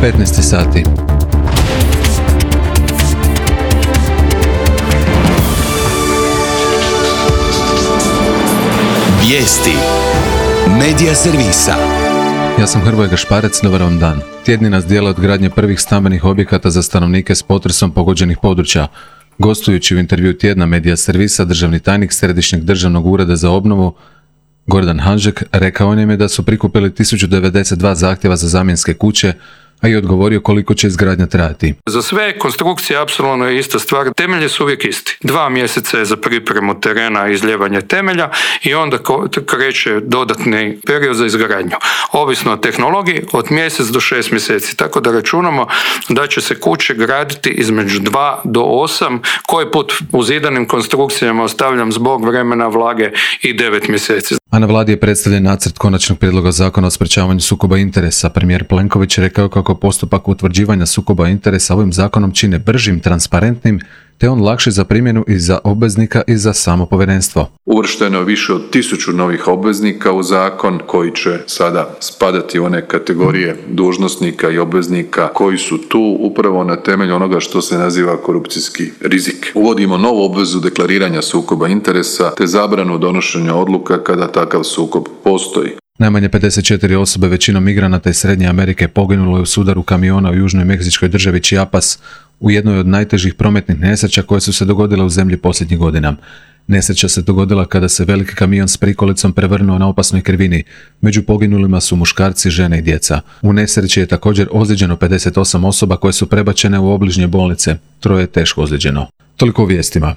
15 sati. Vijesti Medija servisa. Ja sam Hrvoje Gašparec, dobar vam dan. Tjedni nas dijele od gradnje prvih stambenih objekata za stanovnike s potresom pogođenih područja. Gostujući u intervju tjedna Medija servisa, državni tajnik Središnjeg državnog ureda za obnovu Gordan Hanžek rekao nam je da su prikupili 1092 zahtjeva za zamjenske kuće, a i odgovorio koliko će izgradnja trajati. Za sve konstrukcije apsolutno je ista stvar. Temelji su uvijek isti. 2 mjeseca je za pripremu terena i izljevanje temelja i onda kreće dodatni period za izgradnju. Ovisno o tehnologiji, od mjesec do 6 mjeseci. Tako da računamo da će se kuće graditi između 2 do 8, koji put u zidanim konstrukcijama ostavljam zbog vremena, vlage i 9 mjeseci. A na vladi je predstavljen nacrt konačnog prijedloga zakona o sprečavanju sukoba interesa. Premijer Plenković je rekao kako postupak utvrđivanja sukoba interesa ovim zakonom čine bržim, transparentnim, te on lakši za primjenu i za obveznika i za samo povjerenstvo. Uvršteno je više od 1000 novih obveznika u zakon koji će sada spadati u one kategorije dužnosnika i obveznika koji su tu upravo na temelju onoga što se naziva korupcijski rizik. Uvodimo novu obvezu deklariranja sukoba interesa te zabranu donošenja odluka kada takav sukob postoji. Najmanje 54 osobe, većinom migranata iz Srednje Amerike, poginulo je u sudaru kamiona u južnoj meksičkoj državi Chiapas u jednoj od najtežih prometnih nesreća koje su se dogodile u zemlji posljednjih godina. Nesreća se dogodila kada se veliki kamion s prikolicom prevrnuo na opasnoj krivini. Među poginulima su muškarci, žene i djeca. U nesreći je također ozlijeđeno 58 osoba koje su prebačene u obližnje bolnice. 3 je teško ozlijeđeno. Toliko u vijestima.